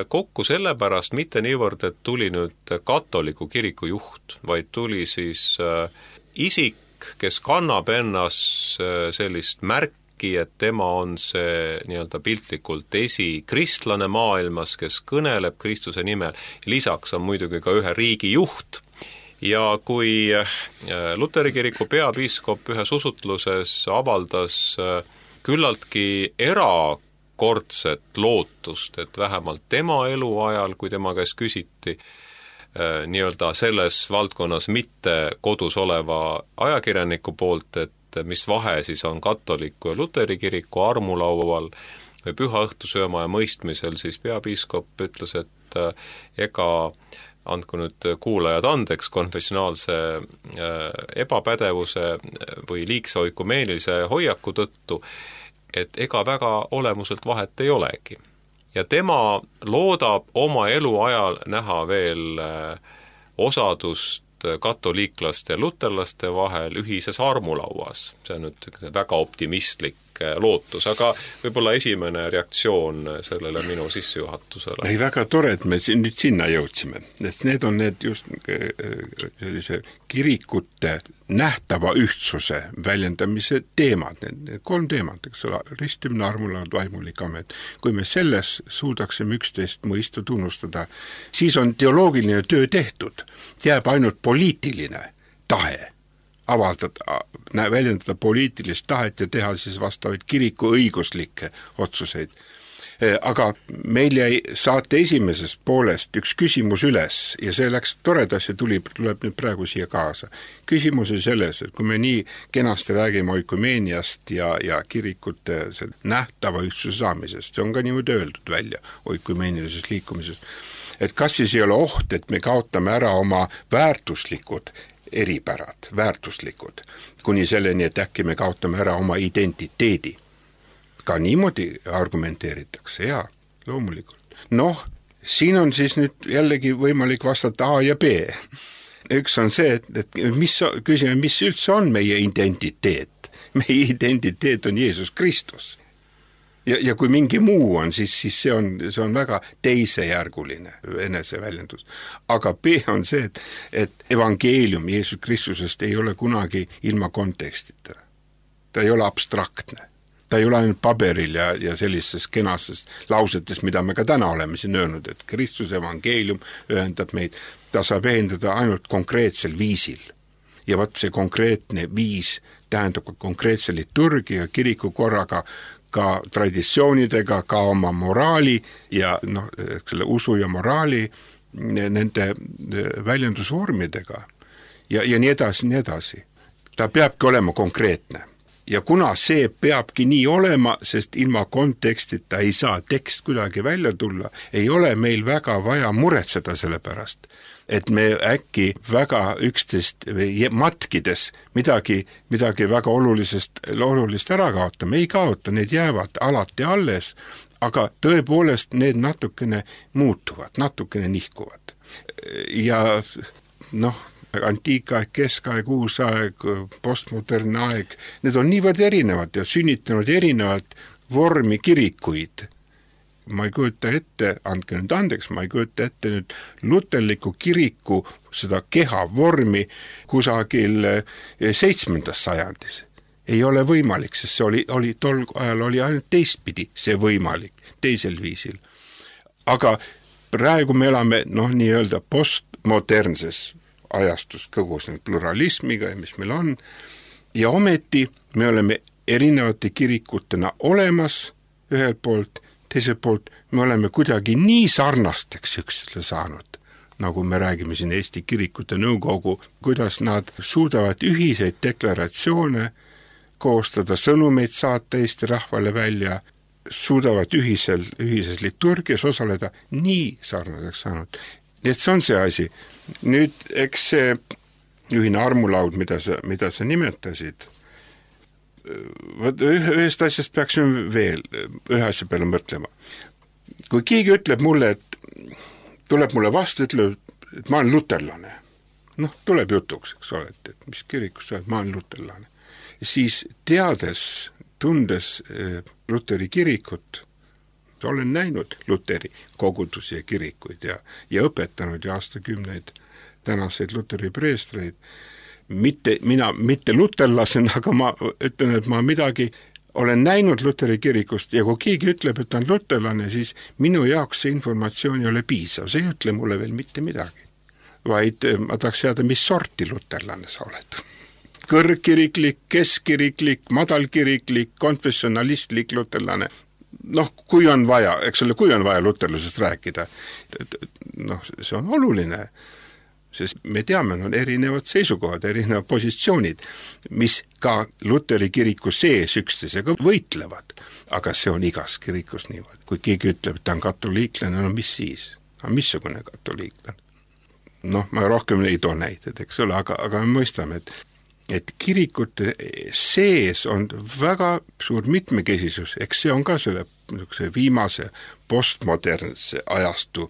kokku sellepärast mitte niivõrd, et tuli nüüd katoliku kiriku juht, vaid tuli siis isik, kes kannab ennas sellist märki, et tema on see nii-öelda piltlikult esikristlane maailmas, kes kõneleb Kristuse nimel. Lisaks on muidugi ka ühe riigi juht. Ja kui Luteri kiriku peapiiskop ühes usutluses avaldas küllaltki erakordset lootust, et vähemalt tema eluajal, kui tema käest küsiti nii-öelda selles valdkonnas mitte kodus oleva ajakirjaniku poolt, et mis vahe siis on katoliku ja Luteri kiriku armulaual või püha õhtusööma ja mõistmisel, siis peapiiskop ütles, et ega andku nüüd kuulajad andeks konfessionaalse ebapädevuse või liigse oikumeenilise hoiaku tõttu, et ega väga olemuselt vahet ei olegi. Ja tema loodab oma elu ajal näha veel osadust katoliiklaste ja luterlaste vahel ühises armulauas. See on nüüd väga optimistlik lootus, aga võib-olla esimene reaktsioon sellele minu sissejuhatusele. Ei, väga tore, et me nüüd sinna jõudsime. Need on need just sellise kirikute nähtava ühtsuse väljendamise teemad, need 3 teemad, eks ole, ristimine, armulaud, vaimulik amet. Kui me selles suudaksime üksteist mõista, tunnustada, siis on teoloogiline töö tehtud. Jääb ainult poliitiline tahe väljendada poliitilist tahet ja teha siis vastavaid kiriku õiguslikke otsuseid. Aga meil jäi saate esimesest poolest üks küsimus üles ja see läks toredas ja tuleb nüüd praegu siia kaasa. Küsimus on selles, et kui me nii kenasti räägime oikumeeniast ja kirikute nähtava ühtsuse saamisest, see on ka niimoodi öeldud välja oikumeenilisest liikumisest, et kas siis ei ole oht, et me kaotame ära oma väärtuslikud eripärad, väärtuslikud, kuni selleni, et äkki me kaotame ära oma identiteedi. Ka niimoodi argumenteeritakse, jaa, loomulikult. Siin on siis nüüd jällegi võimalik vastata A ja B. Üks on see, et küsime, mis üldse on meie identiteet. meie identiteet on Jeesus Kristus. Ja kui mingi muu on, siis see on väga teisejärguline eneseväljendus. Aga B on see, et evangeelium Jeesus Kristusest ei ole kunagi ilma kontekstita. Ta ei ole abstraktne. Ta ei ole ainult paberil ja sellistes kenastes lausetes, mida me ka täna oleme siin öelnud, et Kristuse evangeelium ühendab meid. Ta saab ühendada ainult konkreetsel viisil. Ja see konkreetne viis tähendab ka konkreetse liturgia, kirikukorraga, ka traditsioonidega, ka oma moraali ja selle usu ja moraali nende väljendusvormidega ja nii edasi, nii edasi. Ta peabki olema konkreetne. Ja kuna see peabki nii olema, sest ilma kontekstita ei saa tekst kuidagi välja tulla, ei ole meil väga vaja muretseda selle pärast, et me äkki väga üksteist matkides midagi väga olulist ära kaotame. Ei kaota, need jäävad alati alles, aga tõepoolest need natukene muutuvad, natukene nihkuvad. Ja antiikaeg, keskaeg, uusaeg, postmodernne aeg, need on niivõrd erinevad ja sünnitanud erinevad vormi kirikuid. Ma ei kujuta ette, andke nüüd andeks, ma ei kujuta ette nüüd luterliku kiriku seda keha vormi kusagil 7. sajandis. Ei ole võimalik, sest see oli tol ajal oli ainult teistpidi see võimalik, teisel viisil. Aga praegu me elame nii-öelda postmodernses ajastus kogu selle pluralismiga, mis meil on, ja ometi me oleme erinevate kirikutena olemas ühelt poolt, teiselt poolt me oleme kuidagi nii sarnasteks üksteisele saanud, nagu me räägime siin Eesti Kirikute Nõukogu, kuidas nad suudavad ühiseid deklaratsioone koostada, sõnumeid saata Eesti rahvale välja, suudavad ühises liturgias osaleda, nii sarnaseks saanud. Nii et see on see asi. Nüüd, eks see ühine armulaud, mida sa nimetasid, ühest asjast peaksime veel ühe asja peale mõtlema. Kui keegi ütleb mulle, et tuleb mulle vastu, ütleb, et ma olen luterlane. Tuleb jutuks, eks ole, et mis kirikus sa oled, ma olen luterlane. Siis tundes Luteri kirikut, olen näinud Luteri kogudusi ja kirikuid ja õpetanud ja aastakümneid tänaseid Luteri preestreid. Mitte luterlasena, aga ma ütlen, et ma midagi olen näinud Luteri kirikust ja kui keegi ütleb, et on luterlane, siis minu jaoks see informatsioon ei ole piisav. See ei ütle mulle veel mitte midagi, vaid ma tahaks teada, mis sorti luterlane sa oled. Kõrgkiriklik, keskkiriklik, madalkiriklik, konfessionalistlik luterlane. Kui on vaja, eks ole, kui on vaja luterlusest rääkida, see on oluline. Sest me teame, on erinevad seisukohad, erinevad positsioonid, mis ka Luteri kiriku sees üksteisega võitlevad. Aga see on igas kirikus niimoodi. Kui keegi ütleb, et ta on katoliiklane, mis siis? Missugune katoliiklane? Ma rohkem ei too näited, eks ole, aga me mõistame, et kirikute sees on väga suur mitmekesisus, eks see on ka selle viimase postmodernse ajastu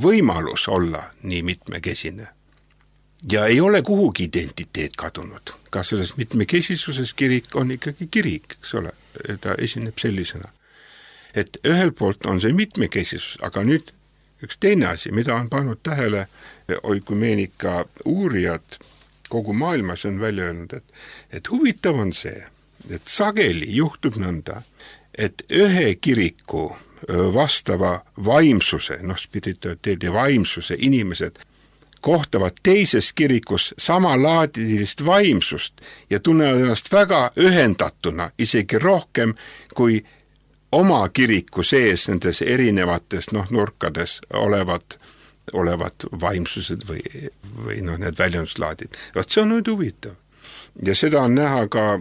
võimalus olla nii mitmekesine. Ja ei ole kuhugi identiteet kadunud. Ka selles mitmekesisuses kirik on ikkagi kirik, eks ole, ta esineb sellisena. Et ühel poolt on see mitmekesisus, aga nüüd üks teine asi, mida on pannud tähele oikumeenika uurijad kogu maailmas on välja öelnud, et huvitav on see, et sageli juhtub nõnda, et ühe kiriku vastava vaimsuse, spirituaaliteedi vaimsuse inimesed kohtavad teises kirikus samalaadilist vaimsust ja tunnevad ennast väga ühendatuna, isegi rohkem kui oma kiriku sees nendes erinevates nurkades olevad vaimsused või need väljenduslaadid. See on nüüd huvitav. Ja seda on näha ka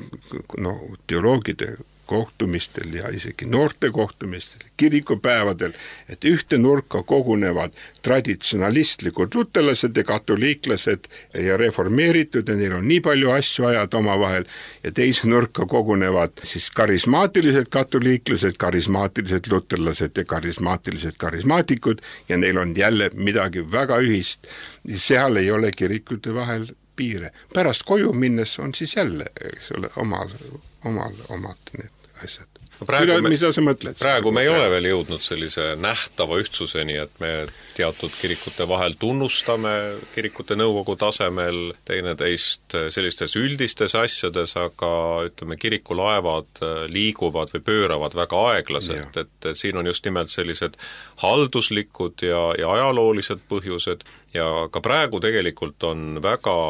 teoloogide kohtumistel ja isegi noorte kohtumistel, kirikupäevadel, et ühte nurka kogunevad traditsionalistlikud luterlased ja katoliiklased ja reformeeritud ja neil on nii palju asju ajada omavahel ja teise nurka kogunevad siis karismaatilised katoliiklased, karismaatilised luterlased ja karismaatilised karismaatikud ja neil on jälle midagi väga ühist. Seal ei ole kirikute vahel piire. Pärast koju minnes on siis jälle, eks ole, omad need asjad. Mida sa mõtled? Praegu me ei ole veel jõudnud sellise nähtava ühtsuseni, et me teatud kirikute vahel tunnustame kirikute nõukogu tasemel teineteist sellistes üldistes asjades, aga ütleme, kirikulaevad liiguvad või pööravad väga aeglaselt, et siin on just nimelt sellised halduslikud ja ajaloolised põhjused ja ka praegu tegelikult on väga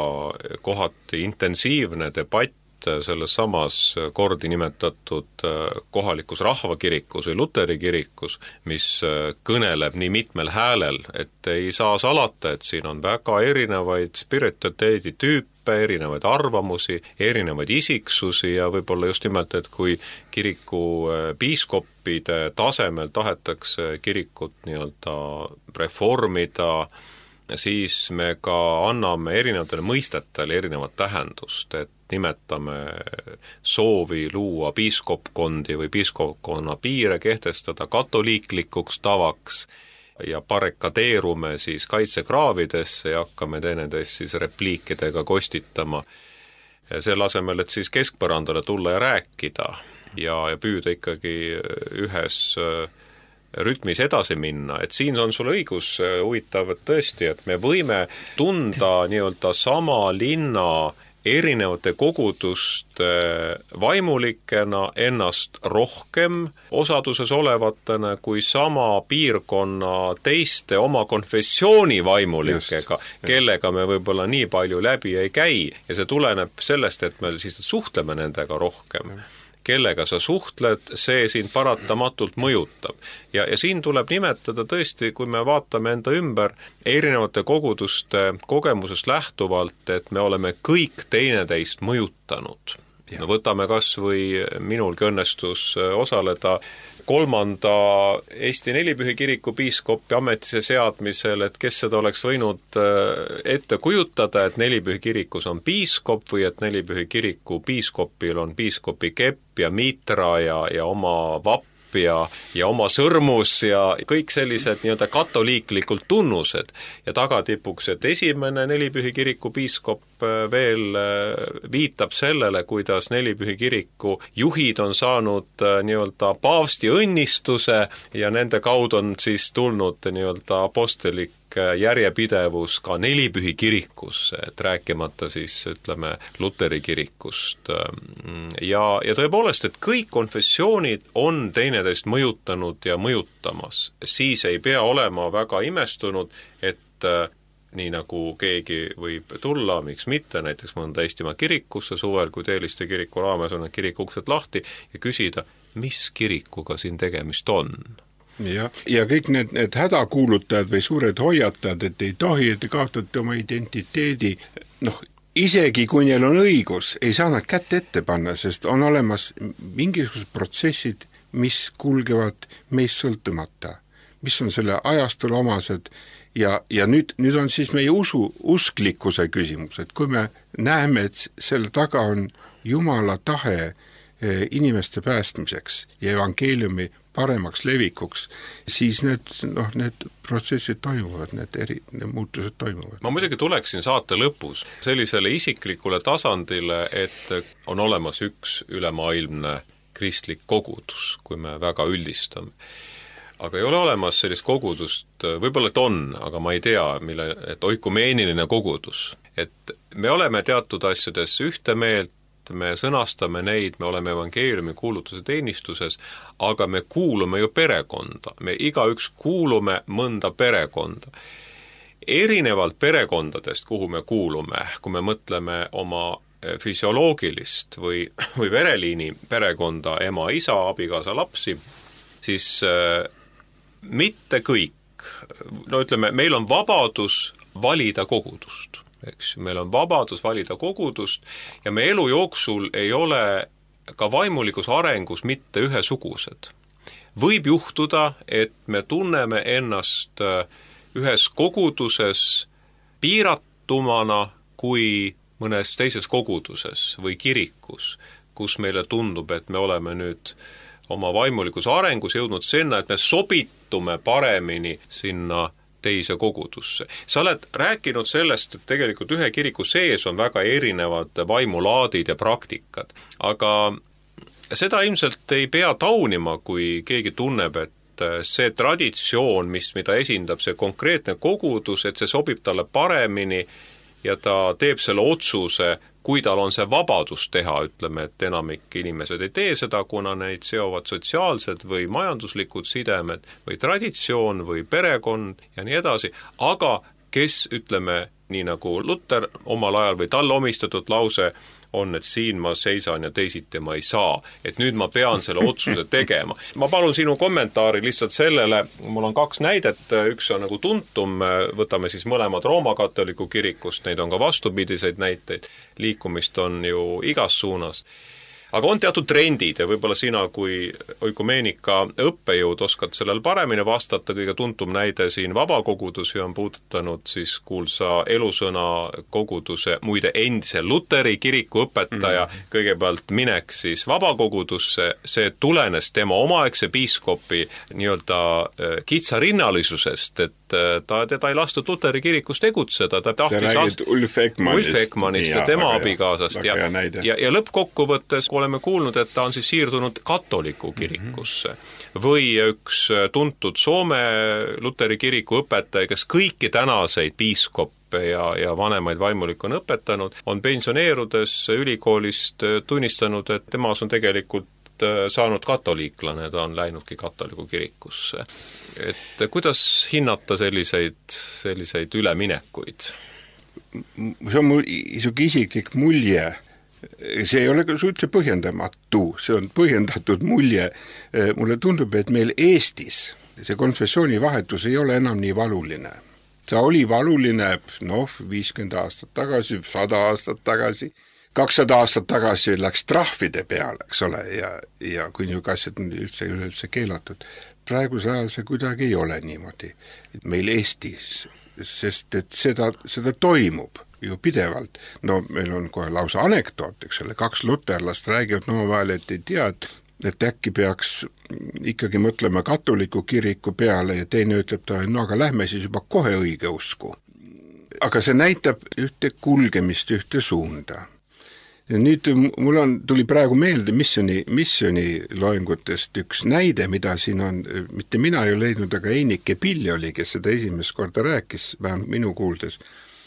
kohati intensiivne debatt selles samas kordi nimetatud kohalikus rahvakirikus või Luteri kirikus, mis kõneleb nii mitmel häälel, et ei saa salata, et siin on väga erinevaid spiritualiteedi tüüpe, erinevaid arvamusi, erinevaid isiksusi ja võib-olla just nimelt, et kui kiriku piiskoppide tasemel tahetakse kirikut nii-öelda reformida, siis me ka anname erinevatele mõistetele erinevat tähendust, et nimetame soovi luua piiskopkondi või piiskopkonna piire kehtestada katoliiklikuks tavaks ja barrikadeerume siis kaitsekraavidesse ja hakkame teineteist siis repliikidega kostitama. Selle asemel, et siis keskpõrandale tulla ja rääkida ja püüda ikkagi ühes rütmis edasi minna, et siin on sul õigus huvitav, et tõesti, et me võime tunda nii-öelda sama linna erinevate koguduste vaimulikena ennast rohkem osaduses olevatena kui sama piirkonna teiste oma konfessiooni vaimulikega, kellega me võib-olla nii palju läbi ei käi ja see tuleneb sellest, et me siis suhtleme nendega rohkem. Kellega sa suhtled, see sind paratamatult mõjutab. Ja siin tuleb nimetada tõesti, kui me vaatame enda ümber erinevate koguduste kogemusest lähtuvalt, et me oleme kõik teineteist mõjutanud. No võtame kas või minulgi õnnestus osaleda 3. Eesti Nelipühi kiriku piiskopi ametisse seadmisel, et kes seda oleks võinud ette kujutada, et Nelipühi kirikus on piiskop või et Nelipühi kiriku piiskopil on piiskopi kepp ja mitra ja oma vapp ja oma sõrmus ja kõik sellised nii-öelda katoliiklikult tunnused ja tagatipuks, et esimene Nelipühi kiriku piiskop veel viitab sellele, kuidas Nelipühi kiriku juhid on saanud nii-öelda paavsti õnnistuse ja nende kaudu on siis tulnud nii-öelda apostelik järjepidevus ka Nelipühi kirikusse, et rääkimata siis ütleme Luteri kirikust. Ja tõepoolest, et kõik konfessioonid on teineteist mõjutanud ja mõjutamas. Siis ei pea olema väga imestunud, et nii nagu keegi võib tulla, miks mitte, näiteks mõnda Eestimaa kirikusse suvel, kui Teeliste kiriku raames on need kirikuksed lahti ja küsida, mis kirikuga siin tegemist on. Ja kõik need hädakuulutajad või suured hoiatajad, et ei tohi, et te kaotate oma identiteedi, isegi kui neil on õigus, ei saa nad kätt ette panna, sest on olemas mingisugused protsessid, mis kulgevad meist sõltumata, mis on selle ajastule omased ja nüüd on siis meie usklikkuse küsimus, et kui me näeme, et selle taga on Jumala tahe inimeste päästmiseks ja evangeeliumi paremaks levikuks, siis need protsessid toimuvad, need muutused toimuvad. Ma muidugi tuleksin saate lõpus sellisele isiklikule tasandile, et on olemas üks ülemaailmne kristlik kogudus, kui me väga üldistame. Aga ei ole olemas sellist kogudust, võib-olla et on, aga ma ei tea, et oikumeeniline kogudus. Et me oleme teatud asjades ühte meelt, me sõnastame neid, me oleme evangeeliumi kuulutuse teenistuses, aga me kuulume ju perekonda. Me igaüks kuulume mõnda perekonda. Erinevalt perekondadest, kuhu me kuulume, kui me mõtleme oma füsioloogilist või vereliini perekonda, ema, isa, abikaasa, lapsi, siis mitte kõik, meil on vabadus valida kogudust, eks, meil on vabadus valida kogudust ja me elu jooksul ei ole ka vaimulikus arengus mitte ühesugused. Võib juhtuda, et me tunneme ennast ühes koguduses piiratumana kui mõnes teises koguduses või kirikus, kus meile tundub, et me oleme nüüd oma vaimulikus arengus jõudnud sinna, et me sobitume paremini sinna teise kogudusse. Sa oled rääkinud sellest, et tegelikult ühe kiriku sees on väga erinevad vaimulaadid ja praktikad, aga seda ilmselt ei pea taunima, kui keegi tunneb, et see traditsioon, mida esindab see konkreetne kogudus, et see sobib talle paremini ja ta teeb selle otsuse, kui tal on see vabadus teha, ütleme, et enamik inimesed ei tee seda, kuna neid seovad sotsiaalsed või majanduslikud sidemed või traditsioon või perekond ja nii edasi, aga kes, ütleme, nii nagu Luter omal ajal või talle omistatud lause on, et siin ma seisan ja teisiti ma ei saa, et nüüd ma pean selle otsuse tegema. Ma palun sinu kommentaari lihtsalt sellele, mul on 2 näidet, üks on nagu tuntum, võtame siis mõlemad Rooma katoliku kirikust, neid on ka vastupidiseid näiteid, liikumist on ju igas suunas. Aga on teatud trendid ja võib-olla sina kui oikumeenika õppejõud oskad sellel paremini vastata, kõige tuntum näide siin vabakogudusi on puudutanud siis kuulsa Elusõna koguduse, muide endise Luteri kiriku õpetaja, kõigepealt minek siis vabakogudusse, see tulenes tema omaaegse piiskopi nii-öelda kitsarinnalisusest, et teda ei lastud Luteri kirikus tegutseda, ta tahtis Ulf Ekmanist ja tema abikaasast ja lõppkokkuvõttes oleme kuulnud, et ta on siis siirdunud katoliku kirikusse. Või üks tuntud Soome Luteri kiriku õpetaja, kes kõiki tänaseid piiskoppe ja vanemaid vaimulikke on õpetanud, on pensioneerudes ülikoolist tunnistanud, et temas on tegelikult saanud katoliiklane, ta on läinudki katoliku kirikusse. Et kuidas hinnata selliseid üleminekuid? See on mul isiklik mulje, see ei ole ka üldse põhjendamatu, see on põhjendatud mulje. Mulle tundub, et meil Eestis see konfessioonivahetus ei ole enam nii valuline. See oli valuline 50 aastat tagasi, 100 aastat tagasi, 200 aastat tagasi läks trahvide peale, eks ole, ja kui niisugune asjad on üldse keelatud. Praeguse ajal see kuidagi ei ole niimoodi meil Eestis, sest et seda toimub ju pidevalt. No meil on kohe lausa anekdoot, eks ole, 2 luterlast räägivad omavahel, et ei tea, et äkki peaks ikkagi mõtlema katoliku kiriku peale ja teine ütleb ta, no aga lähme siis juba kohe õige usku. Aga see näitab ühte kulgemist, ühte suunda. Ja nüüd tuli praegu meelde missiooni loengutest üks näide, mida siin on, mitte mina ei ole leidnud, aga Einike Pill oli, kes seda esimest korda rääkis, vähemalt minu kuuldes,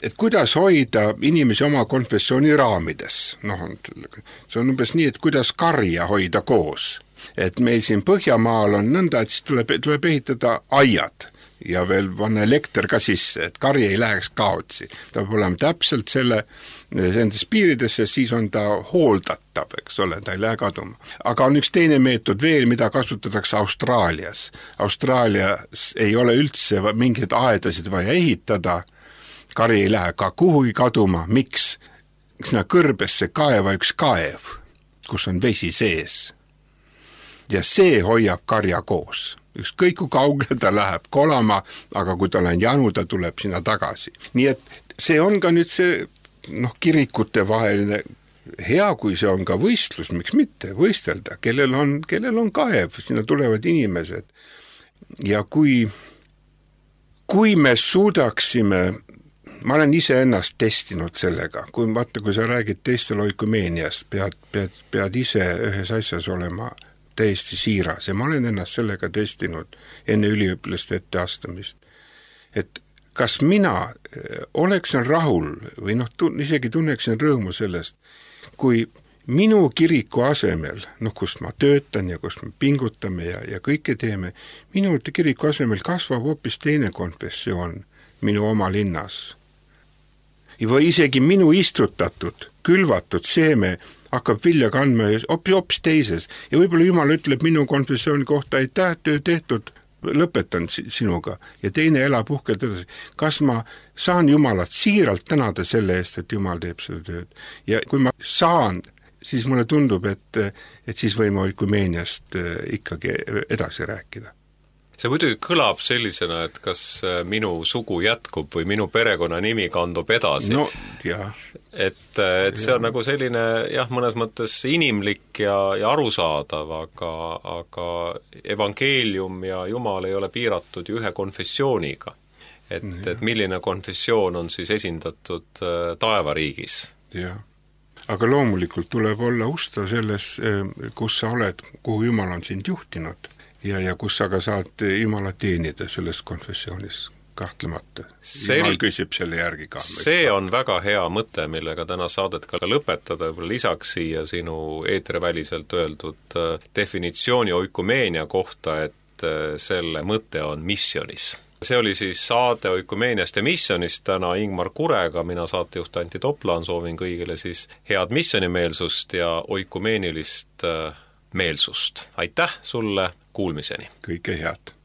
et kuidas hoida inimesi oma konfessiooni raamides. See on umbes nii, et kuidas karja hoida koos. Et meil siin Põhjamaal on nõnda, et siis tuleb ehitada aiad ja veel vanna elekter ka sisse, et karja ei läheks kaotsi. Ta peab olema täpselt nendes piiridesse, siis on ta hooldatav, eks ole, ta ei lähe kaduma. Aga on üks teine meetod veel, mida kasutatakse Austraalias. Austraalias ei ole üldse mingeid aedasid vaja ehitada, kari ei lähe ka kuhugi kaduma. Miks? Sinna kõrbesse kaeva üks kaev, kus on vesi sees. Ja see hoiab karja koos. Ükskõik kui kaugele ta läheb kolama, aga kui tal on janu, ta tuleb sinna tagasi. Nii et see on ka nüüd see kirikute vaheline hea, kui see on ka võistlus, miks mitte võistelda, kellel on kaev, sinna tulevad inimesed. Ja kui me suudaksime, ma olen ise ennast testinud sellega, kui sa räägid teistel oikumeeniast, pead ise ühes asjas olema täiesti siiras ja ma olen ennast sellega testinud enne üliõpilaste etteastamist. Et kas mina oleksin rahul või isegi tunneksin rõõmu sellest, kui minu kiriku asemel, kus ma töötan ja kus me pingutame ja kõike teeme, minu kiriku asemel kasvab hoopis teine konfessioon minu oma linnas. Või isegi minu istutatud, külvatud seeme hakkab vilja kandma hoopis teises. Ja võib-olla Jumal ütleb minu konfessiooni kohta, aitäh, töö tehtud, lõpetan sinuga. Ja teine elab uhkelt edasi. Kas ma saan Jumalat siiralt tänada selle eest, et Jumal teeb seda tööd? Ja kui ma saan, siis mulle tundub, et siis võime oikumeeniast ikkagi edasi rääkida. See muidugi kõlab sellisena, et kas minu sugu jätkub või minu perekonna nimi kandub edasi. No, jah. Et see on nagu selline, mõnes mõttes inimlik ja arusaadav, aga evangeelium ja Jumal ei ole piiratud ju ühe konfessiooniga. et milline konfessioon on siis esindatud taevariigis. Jah. Aga loomulikult tuleb olla ustav selles, kus sa oled, kuhu Jumal on sind juhtinud ja kus sa ka saad Jumala teenida selles konfessioonis kahtlemata. Jumal küsib selle järgi ka. See on väga hea mõte, millega täna saadet ka lõpetada, võib-olla lisaks siia sinu eetriväliselt öeldud definitsiooni oikumeenia kohta, et selle mõte on missionis. See oli siis saade Oikumeeniast ja missionist täna Ingmar Kurega, mina saatejuht Anti Toplaan, soovin kõigile siis head missionimeelsust ja oikumeenilist meelsust. Aitäh sulle, kuulmiseni! Kõike head!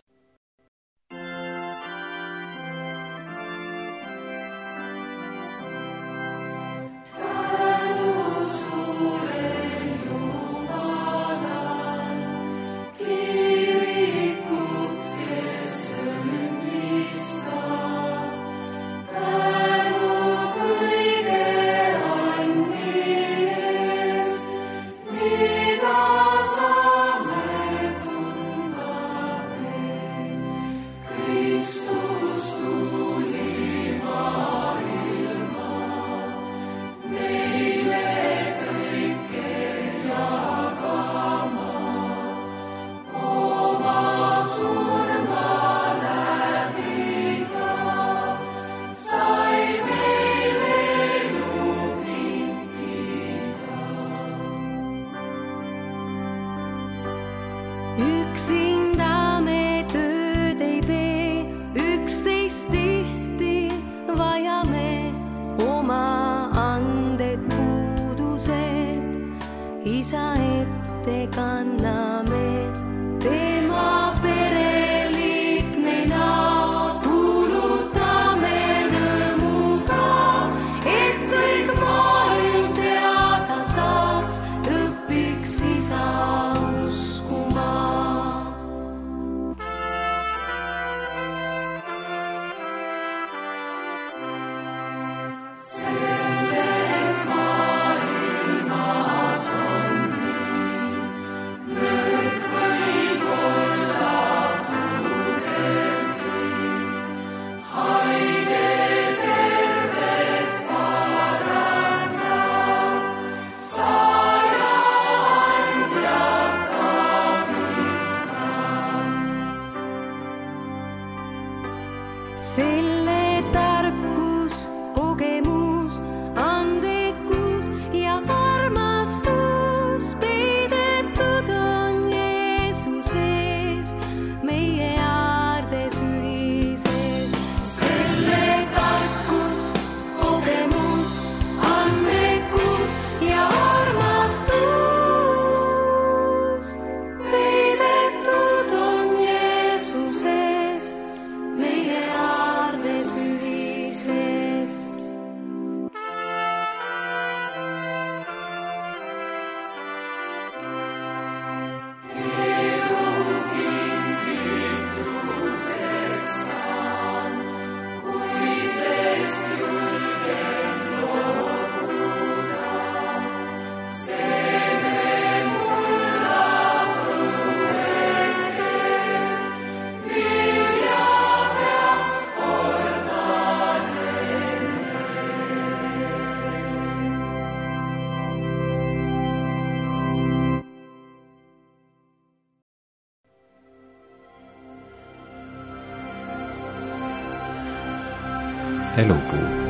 Elupuu.